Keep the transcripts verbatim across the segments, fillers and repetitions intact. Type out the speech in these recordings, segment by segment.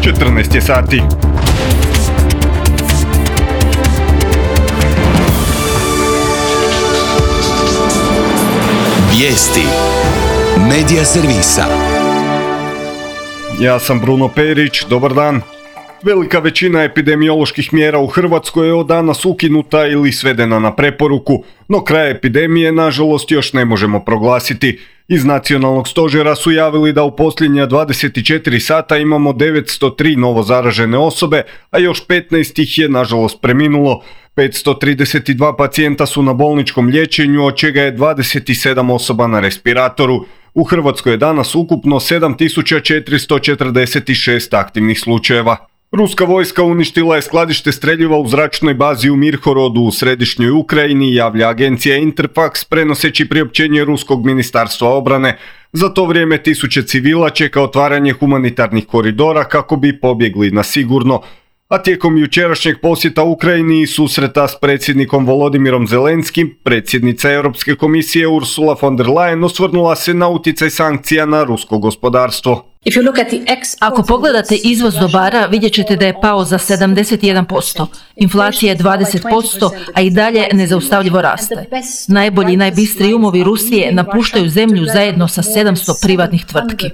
četrnaest je sati. Vijesti Medija servisa. Ja sam Bruno Perić, dobar dan. Velika većina epidemioloških mjera u Hrvatskoj je od danas ukinuta ili svedena na preporuku, no kraj epidemije nažalost još ne možemo proglasiti. Iz nacionalnog stožera su javili da u posljednja dvadeset četiri sata imamo devetsto tri novo zaražene osobe, a još petnaest ih je nažalost preminulo. petsto trideset dva pacijenta su na bolničkom liječenju, od čega je dvadeset sedam osoba na respiratoru. U Hrvatskoj je danas ukupno sedam tisuća četiristo četrdeset šest aktivnih slučajeva. Ruska vojska uništila je skladište streljiva u zračnoj bazi u Mirhorodu u središnjoj Ukrajini, javlja agencija Interfax prenoseći priopćenje Ruskog ministarstva obrane. Za to vrijeme tisuće civila čeka otvaranje humanitarnih koridora kako bi pobjegli na sigurno. A tijekom jučerašnjeg posjeta Ukrajini i susreta s predsjednikom Volodimirom Zelenskim, predsjednica Europske komisije Ursula von der Leyen osvrnula se na utjecaj sankcija na rusko gospodarstvo. Ako pogledate izvoz dobara, vidjet ćete da je pao za sedamdeset jedan posto. Inflacija je dvadeset posto, a i dalje nezaustavljivo raste. Najbolji i najbistriji umovi Rusije napuštaju zemlju zajedno sa sedamsto privatnih tvrtki.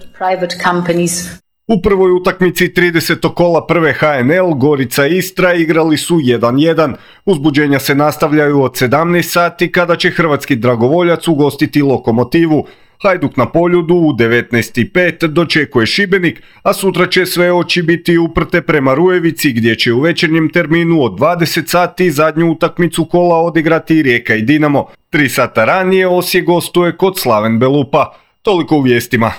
U prvoj utakmici tridesetog kola prve H N L Gorica i Istra igrali su jedan jedan. Uzbuđenja se nastavljaju od sedamnaest sati kada će hrvatski dragovoljac ugostiti Lokomotivu. Hajduk na Poljudu u devetnaest i pet dočekuje Šibenik, a sutra će sve oči biti uprte prema Rujevici gdje će u večernjem terminu od dvadeset sati zadnju utakmicu kola odigrati Rijeka i Dinamo. Tri sata ranije Osijek gostuje kod Slaven Belupa. Toliko u vijestima.